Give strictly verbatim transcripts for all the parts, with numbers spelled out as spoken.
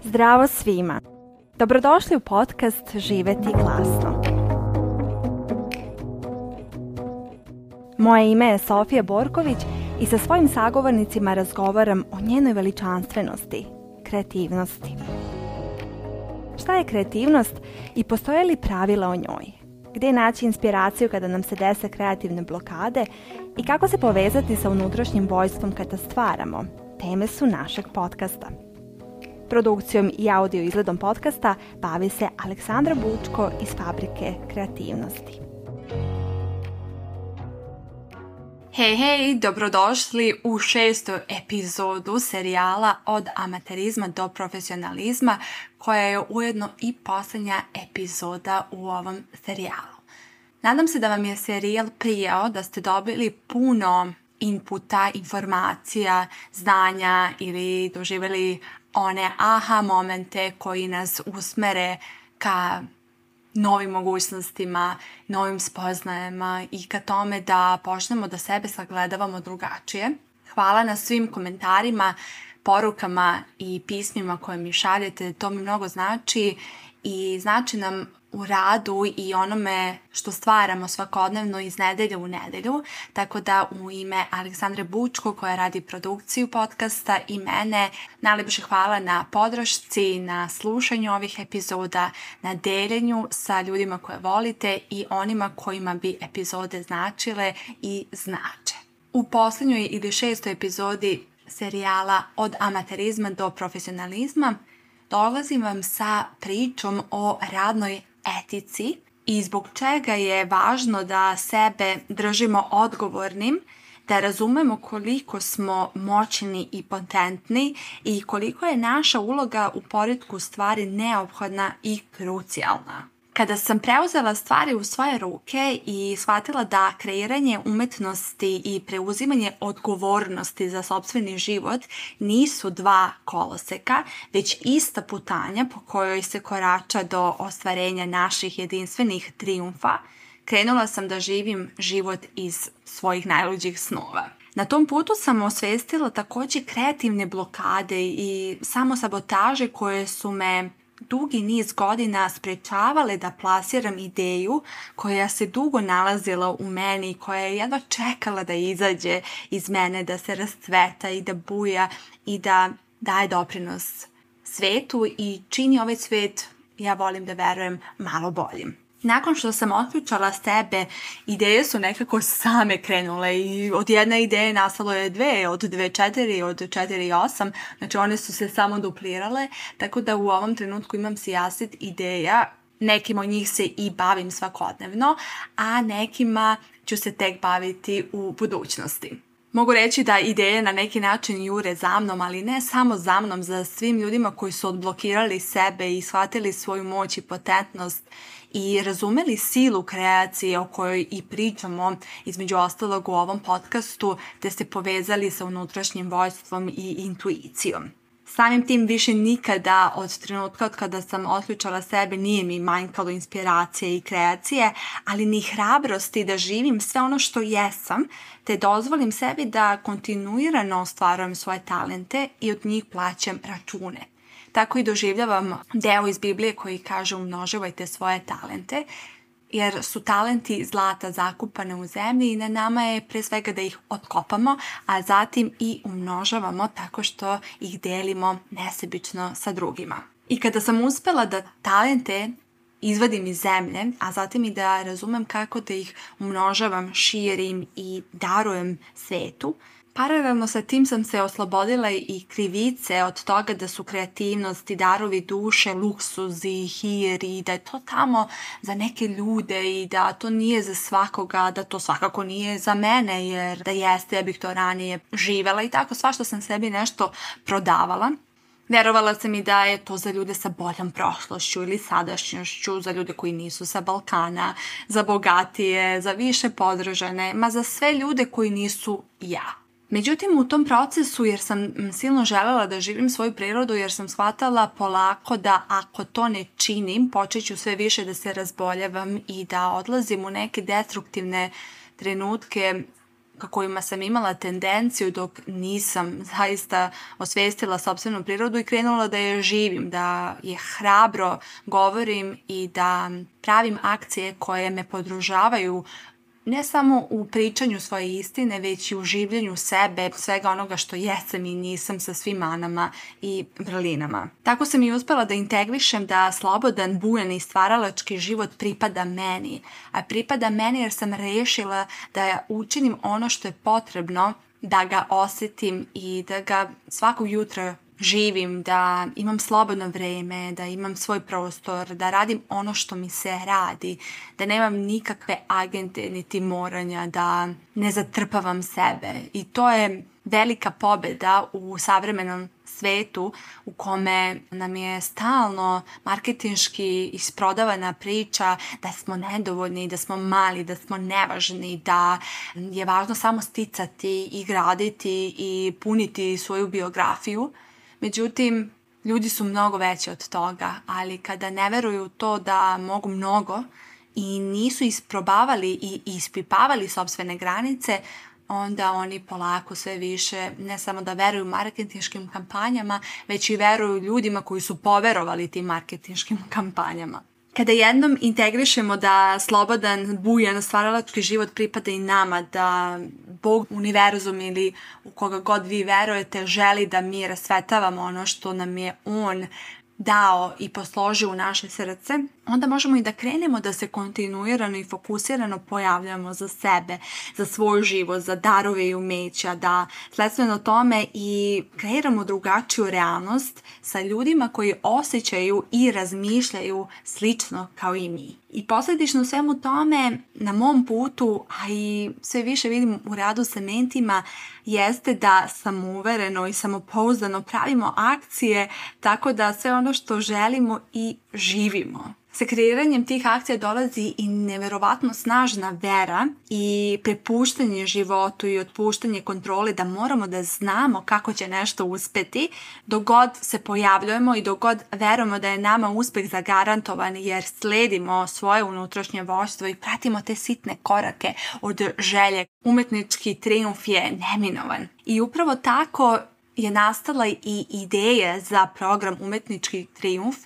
Zdravo svima! Dobrodošli u podcast Živeti glasno. Moje ime je Sofija Borković i sa svojim sagovornicima razgovaram o njenoj veličanstvenosti, kreativnosti. Šta je kreativnost i postoje li pravila o njoj? Gdje naći inspiraciju kada nam se dese kreativne blokade i kako se povezati sa unutrašnjim vojstvom kada stvaramo? Teme su našeg podcasta. Produkcijom i audio izgledom podcasta bavi se Aleksandra Bučko iz Fabrike kreativnosti. Hej, hej, dobrodošli u šestu epizodu serijala Od amaterizma do profesionalizma, koja je ujedno i posljednja epizoda u ovom serijalu. Nadam se da vam je serijal prijao, da ste dobili puno inputa, informacija, znanja ili doživjeli one aha momente koji nas usmere ka novim mogućnostima, novim spoznajama i ka tome da počnemo da sebe sagledavamo drugačije. Hvala na svim komentarima, porukama i pismima koje mi šaljete, to mi mnogo znači i znači nam u radu i onome što stvaramo svakodnevno iz nedelje u nedelju, tako da u ime Aleksandre Bučko koja radi produkciju podcasta i mene, najljepše hvala na podršci, na slušanju ovih epizoda, na deljenju sa ljudima koje volite i onima kojima bi epizode značile i znače. U posljednjoj ili šestoj epizodi serijala Od amaterizma do profesionalizma dolazim vam sa pričom o radnoj etici i zbog čega je važno da sebe držimo odgovornim, da razumemo koliko smo moćni i potentni i koliko je naša uloga u poretku stvari neophodna i krucijalna. Kada sam preuzela stvari u svoje ruke i shvatila da kreiranje umetnosti i preuzimanje odgovornosti za sopstveni život nisu dva koloseka, već ista putanja po kojoj se korača do ostvarenja naših jedinstvenih trijumfa, krenula sam da živim život iz svojih najluđih snova. Na tom putu sam osvestila također kreativne blokade i samosabotaže koje su me dugi niz godina sprečavale da plasiram ideju koja se dugo nalazila u meni i koja je jedva čekala da izađe iz mene, da se rascveta i da buja i da daje doprinos svetu i čini ovaj svet, ja volim da verujem, malo boljim. Nakon što sam otključala sebe, ideje su nekako same krenule i od jedne ideje nastalo je dve, od dve četiri, od četiri osam, znači one su se samo duplirale, tako da u ovom trenutku imam sijaset ideja, nekim od njih se i bavim svakodnevno, a nekima ću se tek baviti u budućnosti. Mogu reći da ideje na neki način jure za mnom, ali ne samo za mnom, za svim ljudima koji su odblokirali sebe i shvatili svoju moć i potentnost i razumeli silu kreacije o kojoj i pričamo između ostalog u ovom podcastu, te se povezali sa unutrašnjim vojstvom i intuicijom. Samim tim više nikada od trenutka od kada sam otključala sebe nije mi manjkalo inspiracije i kreacije, ali ni hrabrosti da živim sve ono što jesam, te dozvolim sebi da kontinuirano ostvarujem svoje talente i od njih plaćam račune. Tako i doživljavam deo iz Biblije koji kaže umnožavajte svoje talente, jer su talenti zlata zakupane u zemlji i na nama je pre svega da ih otkopamo, a zatim i umnožavamo tako što ih delimo nesebično sa drugima. I kada sam uspela da talente izvadim iz zemlje, a zatim i da razumem kako da ih umnožavam, širim i darujem svetu, paralelno sa tim sam se oslobodila i krivice od toga da su kreativnost i darovi duše, luksuzi, hir i da je to tamo za neke ljude i da to nije za svakoga, da to svakako nije za mene jer da jeste ja bih to ranije živela i tako svašta sam sebi nešto prodavala. Vjerovala sam i da je to za ljude sa boljom prošlošću ili sadašnjošću, za ljude koji nisu sa Balkana, za bogatije, za više podržane, ma za sve ljude koji nisu ja. Međutim, u tom procesu, jer sam silno želela da živim svoju prirodu, jer sam shvatala polako da ako to ne činim, počet ću sve više da se razboljavam i da odlazim u neke destruktivne trenutke ka kojima sam imala tendenciju dok nisam zaista osvijestila sopstvenu prirodu i krenula da je živim, da je hrabro govorim i da pravim akcije koje me podržavaju ne samo u pričanju svoje istine, već i u življenju sebe, svega onoga što jesam i nisam sa svim manama i vrlinama. Tako sam i uspjela da integrišem da slobodan, bujan i stvaralački život pripada meni. A pripada meni jer sam rešila da učinim ono što je potrebno da ga osjetim i da ga svakog jutra živim, da imam slobodno vreme, da imam svoj prostor, da radim ono što mi se radi, da nemam nikakve agente niti moranja, da ne zatrpavam sebe. I to je velika pobjeda u savremenom svetu u kome nam je stalno marketinški isprodavana priča da smo nedovoljni, da smo mali, da smo nevažni, da je važno samo sticati i graditi i puniti svoju biografiju. Međutim, ljudi su mnogo veći od toga, ali kada ne veruju to da mogu mnogo i nisu isprobavali i ispipavali sopstvene granice, onda oni polako sve više ne samo da veruju marketinškim kampanjama, već i veruju ljudima koji su poverovali tim marketinškim kampanjama. Kada jednom integrišemo da slobodan, bujan, stvaralački život pripada i nama, da Bog, univerzum ili u koga god vi verujete želi da mi rasvetavamo ono što nam je On dao i posložio u naše srce, onda možemo i da krenemo da se kontinuirano i fokusirano pojavljamo za sebe, za svoj život, za darove i umeća, da sledstveno tome i kreiramo drugačiju realnost sa ljudima koji osjećaju i razmišljaju slično kao i mi. I posljedično svemu tome na mom putu, a i sve više vidim u radu sa mentima, jeste da samouvereno i samopouzdano pravimo akcije tako da sve ono što želimo i živimo. Sa kreiranjem tih akcija dolazi i neverovatno snažna vera i prepuštanje životu i otpuštanje kontrole da moramo da znamo kako će nešto uspeti dok god se pojavljujemo i dok god verujemo da je nama uspeh zagarantovan jer sledimo svoje unutrašnje vođstvo i pratimo te sitne korake od želje. Umetnički trijumf je neminovan. I upravo tako je nastala i ideja za program Umetnički trijumf,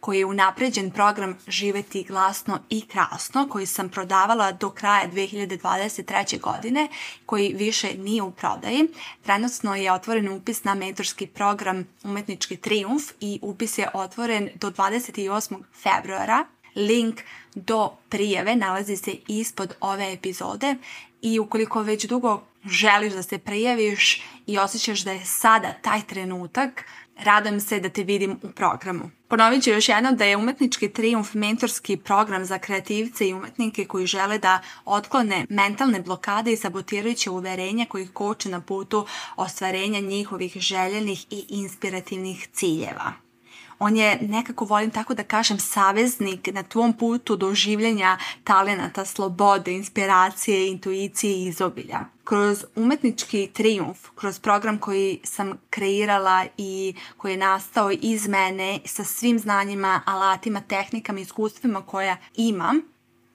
koji je unapređen program Živeti glasno i krasno, koji sam prodavala do kraja dve hiljade dvadeset treće. godine, koji više nije u prodaji. Trenutno je otvoren upis na mentorski program Umetnički trijumf i upis je otvoren do dvadeset osmog februara. Link do prijave nalazi se ispod ove epizode i ukoliko već dugo želiš da se prijaviš i osjećaš da je sada taj trenutak, radujem se da te vidim u programu. Ponovit ću još jednom da je Umetnički trijumf mentorski program za kreativce i umetnike koji žele da otklone mentalne blokade i sabotirajuće uverenja koji ih koče na putu ostvarenja njihovih željenih i inspirativnih ciljeva. On je, nekako volim tako da kažem, saveznik na tvom putu do življenja talenata, slobode, inspiracije, intuicije i izobilja. Kroz Umetnički trijumf, kroz program koji sam kreirala i koji je nastao iz mene sa svim znanjima, alatima, tehnikama i iskustvima koja imam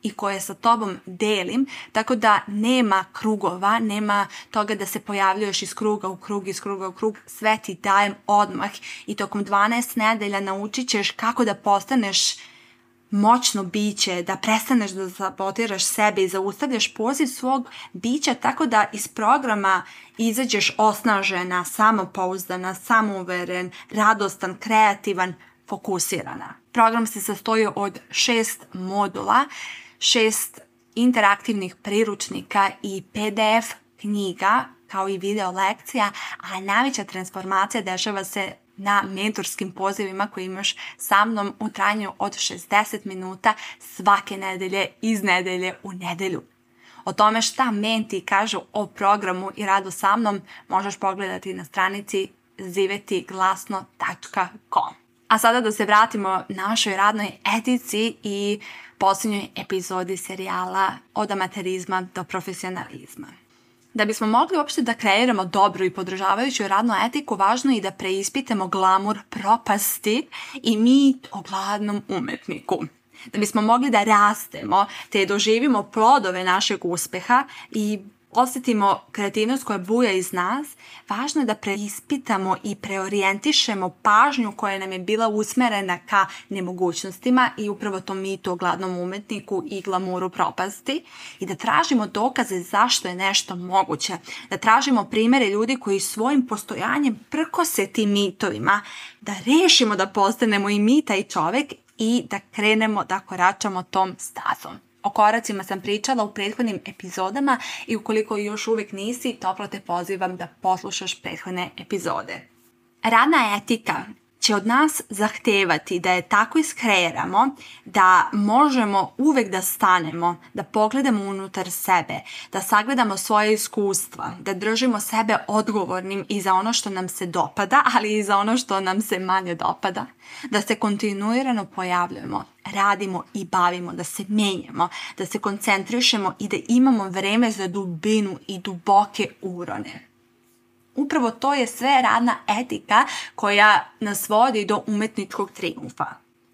i koje sa tobom delim, tako da nema krugova, nema toga da se pojavljuješ iz kruga u krug, iz kruga u krug, sve ti dajem odmah i tokom dvanaest nedelja naučit ćeš kako da postaneš moćno biće, da prestaneš da sabotiraš sebe i zaustavljaš poziv svog bića tako da iz programa izađeš osnažena, samopouzdana, samouveren, radostan, kreativan, fokusirana. Program se sastoji od šest modula, šest interaktivnih priručnika i P D F knjiga kao i video lekcija, a najveća transformacija dešava se na mentorskim pozivima koje imaš sa mnom u trajanju od šezdeset minuta svake nedelje, iz nedelje u nedelju. O tome šta menti kažu o programu i radu sa mnom možeš pogledati na stranici ziveti glasno tačka com. A sada da se vratimo našoj radnoj etici i posljednjoj epizodi serijala Od amaterizma do profesionalizma. Da bismo mogli uopšte da kreiramo dobru i podržavajuću radnu etiku, važno je i da preispitamo glamur propasti i mit o gladnom umetniku. Da bismo mogli da rastemo te doživimo plodove našeg uspeha i osjetimo kreativnost koja buja iz nas, važno je da preispitamo i preorijentišemo pažnju koja nam je bila usmerena ka nemogućnostima i upravo tom mitu o gladnom umetniku i glamuru propasti i da tražimo dokaze zašto je nešto moguće. Da tražimo primjere ljudi koji svojim postojanjem prkose tim mitovima, da rešimo da postanemo i mi taj čovjek i da krenemo da koračamo tom stazom. O koracima sam pričala u prethodnim epizodama i ukoliko još uvijek nisi, toplo te pozivam da poslušaš prethodne epizode. Radna etika će od nas zahtevati da je tako iskreiramo da možemo uvijek da stanemo, da pogledamo unutar sebe, da sagledamo svoje iskustva, da držimo sebe odgovornim i za ono što nam se dopada, ali i za ono što nam se manje dopada, da se kontinuirano pojavljujemo, radimo i bavimo, da se menjamo, da se koncentrišemo i da imamo vreme za dubinu i duboke urone. Upravo to je sve radna etika koja nas vodi do umetničkog triumfa.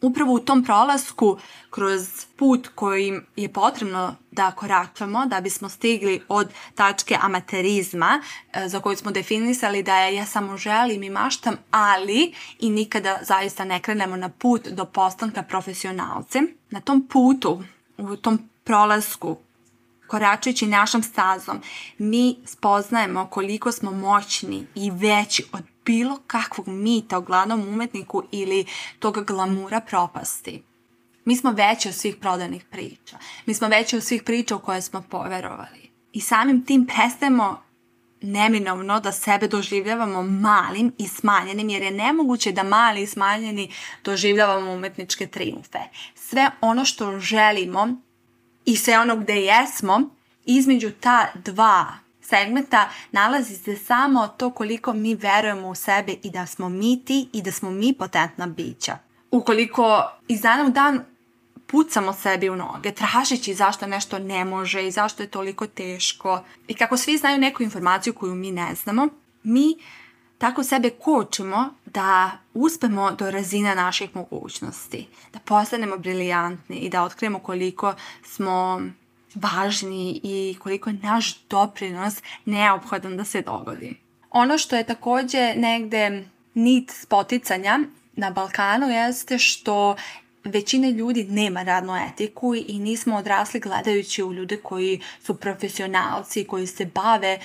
Upravo u tom prolasku kroz put kojim je potrebno da koračamo da bismo stigli od tačke amaterizma za koju smo definisali da je ja samo želim i maštam, ali i nikada zaista ne krenemo na put do postanka profesionalcem. Na tom putu, u tom prolasku, koračajući našom stazom, mi spoznajemo koliko smo moćni i veći od bilo kakvog mita o glavnom umetniku ili tog glamura propasti. Mi smo veći od svih prodanih priča. Mi smo veći od svih priča u koje smo poverovali. I samim tim prestajemo neminovno da sebe doživljavamo malim i smanjenim, jer je nemoguće da mali i smanjeni doživljavamo umetničke triumfe. Sve ono što želimo i sve ono gde jesmo, između ta dva segmenta nalazi se samo to koliko mi verujemo u sebe i da smo mi ti i da smo mi potentna bića. Ukoliko iz dana u dan pucamo sebi u noge, tražići zašto nešto ne može i zašto je toliko teško i kako svi znaju neku informaciju koju mi ne znamo, mi tako sebe kočimo da uspemo do razine naših mogućnosti, da postanemo briljantni i da otkrijemo koliko smo važni i koliko je naš doprinos neophodan da se dogodi. Ono što je također negde nit spoticanja na Balkanu jeste što većina ljudi nema radnu etiku i nismo odrasli gledajući u ljude koji su profesionalci, koji se bave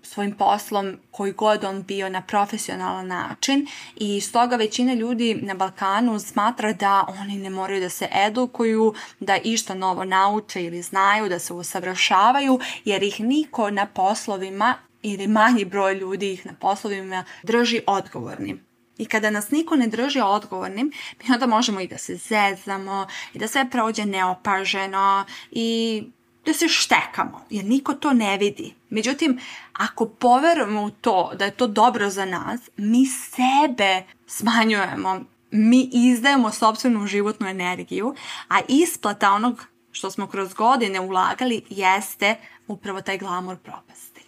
svojim poslom koji god on bio na profesionalan način i stoga većina ljudi na Balkanu smatra da oni ne moraju da se edukuju, da išta novo nauče ili znaju, da se usavršavaju jer ih niko na poslovima ili manji broj ljudi ih na poslovima drži odgovornim. I kada nas niko ne drži odgovornim, mi onda možemo i da se zezamo i da sve prođe neopaženo i da se štekamo, jer niko to ne vidi. Međutim, ako poverujemo u to da je to dobro za nas, mi sebe smanjujemo, mi izdajemo sopstvenu životnu energiju, a isplata onog što smo kroz godine ulagali jeste upravo taj glamur propasti.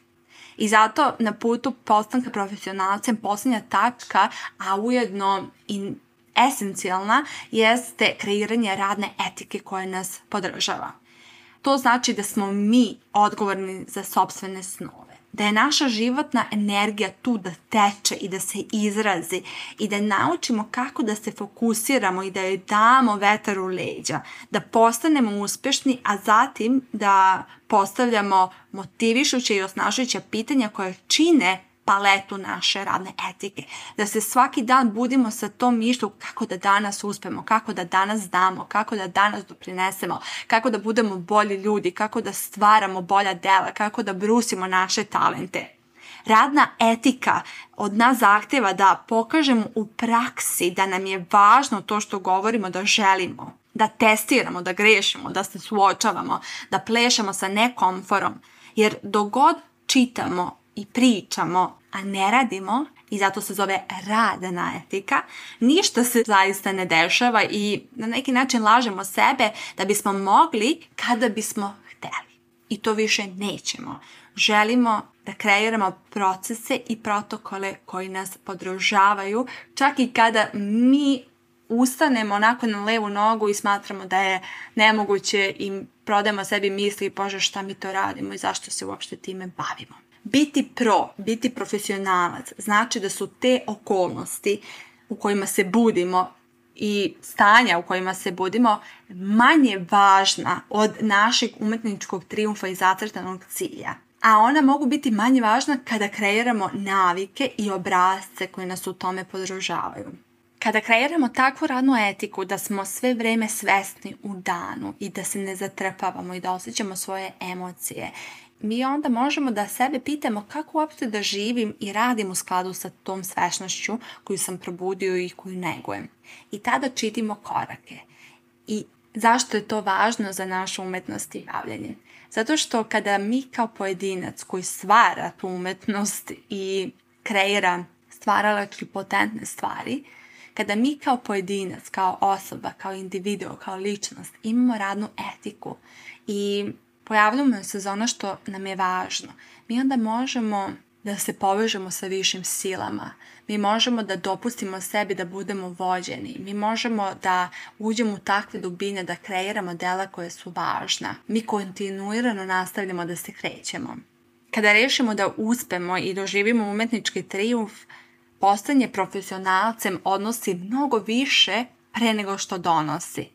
I zato na putu postanka profesionalcem posljednja tačka, a ujedno i esencijalna, jeste kreiranje radne etike koja nas podržava. To znači da smo mi odgovorni za sopstvene snove. Da je naša životna energija tu da teče i da se izrazi i da naučimo kako da se fokusiramo i da joj damo vetar u leđa, da postanemo uspješni, a zatim da postavljamo motivišuće i osnažujuća pitanja koje čine paletu naše radne etike. Da se svaki dan budimo sa tom mišlju kako da danas uspemo, kako da danas damo, kako da danas doprinesemo, kako da budemo bolji ljudi, kako da stvaramo bolja dela, kako da brusimo naše talente. Radna etika od nas zahtjeva da pokažemo u praksi da nam je važno to što govorimo da želimo, da testiramo, da grešimo, da se suočavamo, da plešemo sa nekomforom. Jer dok god čitamo i pričamo, a ne radimo, i zato se zove radna etika, ništa se zaista ne dešava i na neki način lažemo sebe da bismo mogli kada bismo hteli. I to više nećemo. Želimo da kreiramo procese i protokole koji nas podržavaju, čak i kada mi ustanemo onako na levu nogu i smatramo da je nemoguće i prodajemo sebi misli, bože šta mi to radimo i zašto se uopšte time bavimo. Biti pro, biti profesionalac, znači da su te okolnosti u kojima se budimo i stanja u kojima se budimo manje važna od našeg umetničkog trijumfa i zacrtanog cilja. A ona mogu biti manje važna kada kreiramo navike i obrasce koji nas u tome podržavaju. Kada kreiramo takvu radnu etiku da smo sve vreme svesni u danu i da se ne zatrpavamo i da osjećamo svoje emocije, mi onda možemo da sebe pitamo kako uopšte da živim i radim u skladu sa tom svesnošću koju sam probudio i koju negujem. I tada čitimo korake. I zašto je to važno za našu umetnost i bavljenje? Zato što kada mi kao pojedinac koji stvara tu umetnost i kreira stvaralački potentne stvari, kada mi kao pojedinac, kao osoba, kao individuo, kao ličnost imamo radnu etiku i pojavljamo se za ono što nam je važno, mi onda možemo da se povežemo sa višim silama. Mi možemo da dopustimo sebi da budemo vođeni. Mi možemo da uđemo u takve dubine, da kreiramo dela koje su važna. Mi kontinuirano nastavljamo da se krećemo. Kada rešimo da uspemo i doživimo umetnički trijumf, postajanje profesionalcem odnosi mnogo više pre nego što donosi,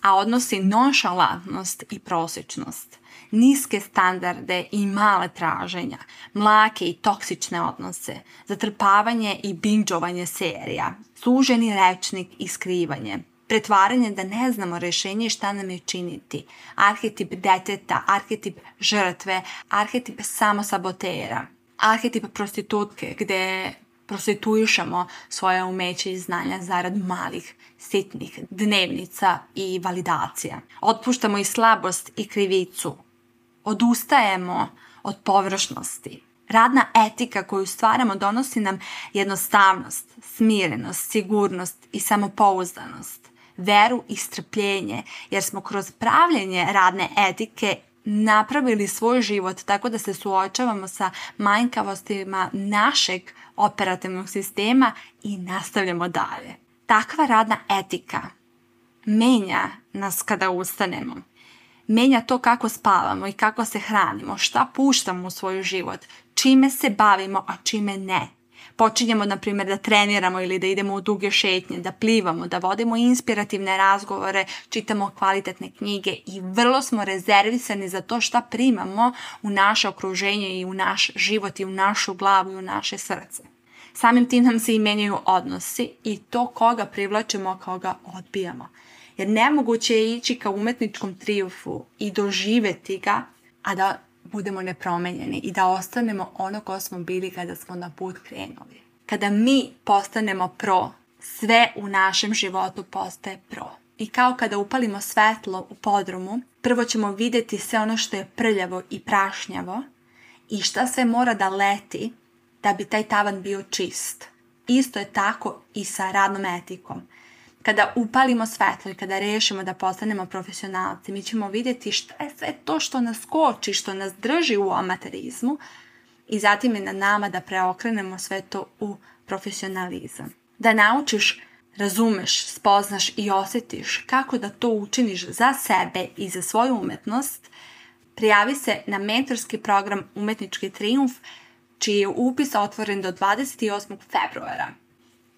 a odnosi nonšalantnost i prosječnost, niske standarde i male traženja, mlake i toksične odnose, zatrpavanje i binđovanje serija, suženi rečnik i skrivanje, pretvaranje da ne znamo rešenje i šta nam je činiti, arhetip deteta, arhetip žrtve, arhetip samosabotera, arhetip prostitutke gde prostituišemo svoje umeće i znanja zarad malih, sitnih dnevnica i validacija. Otpuštamo i slabost i krivicu. Odustajemo od površnosti. Radna etika koju stvaramo donosi nam jednostavnost, smirenost, sigurnost i samopouzdanost, veru i strpljenje, jer smo kroz pravljenje radne etike napravili svoj život tako da se suočavamo sa manjkavostima našeg operativnog sistema i nastavljamo dalje. Takva radna etika menja nas kada ustanemo. Menja to kako spavamo i kako se hranimo, šta puštamo u svoj život, čime se bavimo, a čime ne. Počinjemo, na primjer, da treniramo ili da idemo u duge šetnje, da plivamo, da vodimo inspirativne razgovore, čitamo kvalitetne knjige i vrlo smo rezervisani za to šta primamo u naše okruženje i u naš život i u našu glavu i u naše srce. Samim tim nam se i menjaju odnosi i to koga privlačimo, a koga odbijamo. Jer nemoguće je ići ka umetničkom trijumfu i doživeti ga, a da budemo nepromenjeni i da ostanemo ono ko smo bili kada smo na put krenuli. Kada mi postanemo pro, sve u našem životu postaje pro. I kao kada upalimo svetlo u podrumu, prvo ćemo vidjeti sve ono što je prljavo i prašnjavo i šta sve mora da leti da bi taj tavan bio čist. Isto je tako i sa radnom etikom. Kada upalimo svetlo i kada rešimo da postanemo profesionalci, mi ćemo vidjeti šta je sve to što nas koči, što nas drži u amaterizmu i zatim je na nama da preokrenemo sve to u profesionalizam. Da naučiš, razumeš, spoznaš i osjetiš kako da to učiniš za sebe i za svoju umetnost, prijavi se na mentorski program Umetnički trijumf, čiji je upis otvoren do dvadeset osmog februara.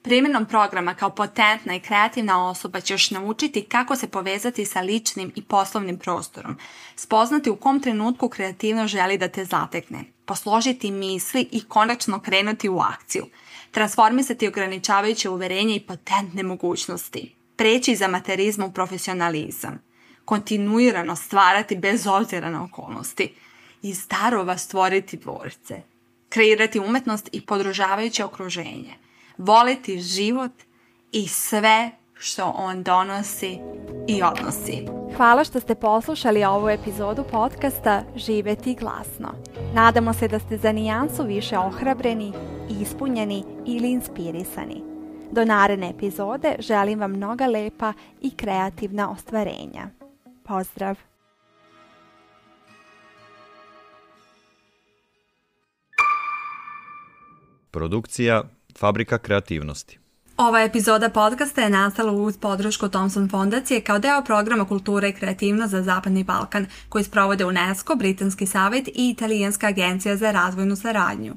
Primjenom programa kao potentna i kreativna osoba ćeš naučiti kako se povezati sa ličnim i poslovnim prostorom, spoznati u kom trenutku kreativno želi da te zatekne, posložiti misli i konačno krenuti u akciju, transformisati ograničavajuće uverenje i potentne mogućnosti, preći iz amaterizma u profesionalizam, kontinuirano stvarati bez obzira na okolnosti, iz darova stvoriti dvorce, kreirati umetnost i podržavajuće okruženje, voliti život i sve što on donosi i odnosi. Hvala što ste poslušali ovu epizodu podcasta Živeti glasno. Nadamo se da ste za nijansu više ohrabreni, ispunjeni ili inspirisani. Do naredne epizode želim vam mnoga lepa i kreativna ostvarenja. Pozdrav! Produkcija Fabrika kreativnosti. Ova epizoda podcasta je nastala uz podršku Thomson fondacije kao deo programa Kultura i kreativnost za Zapadni Balkan, koji sprovode UNESCO, Britanski savjet i Italijanska agencija za razvojnu saradnju.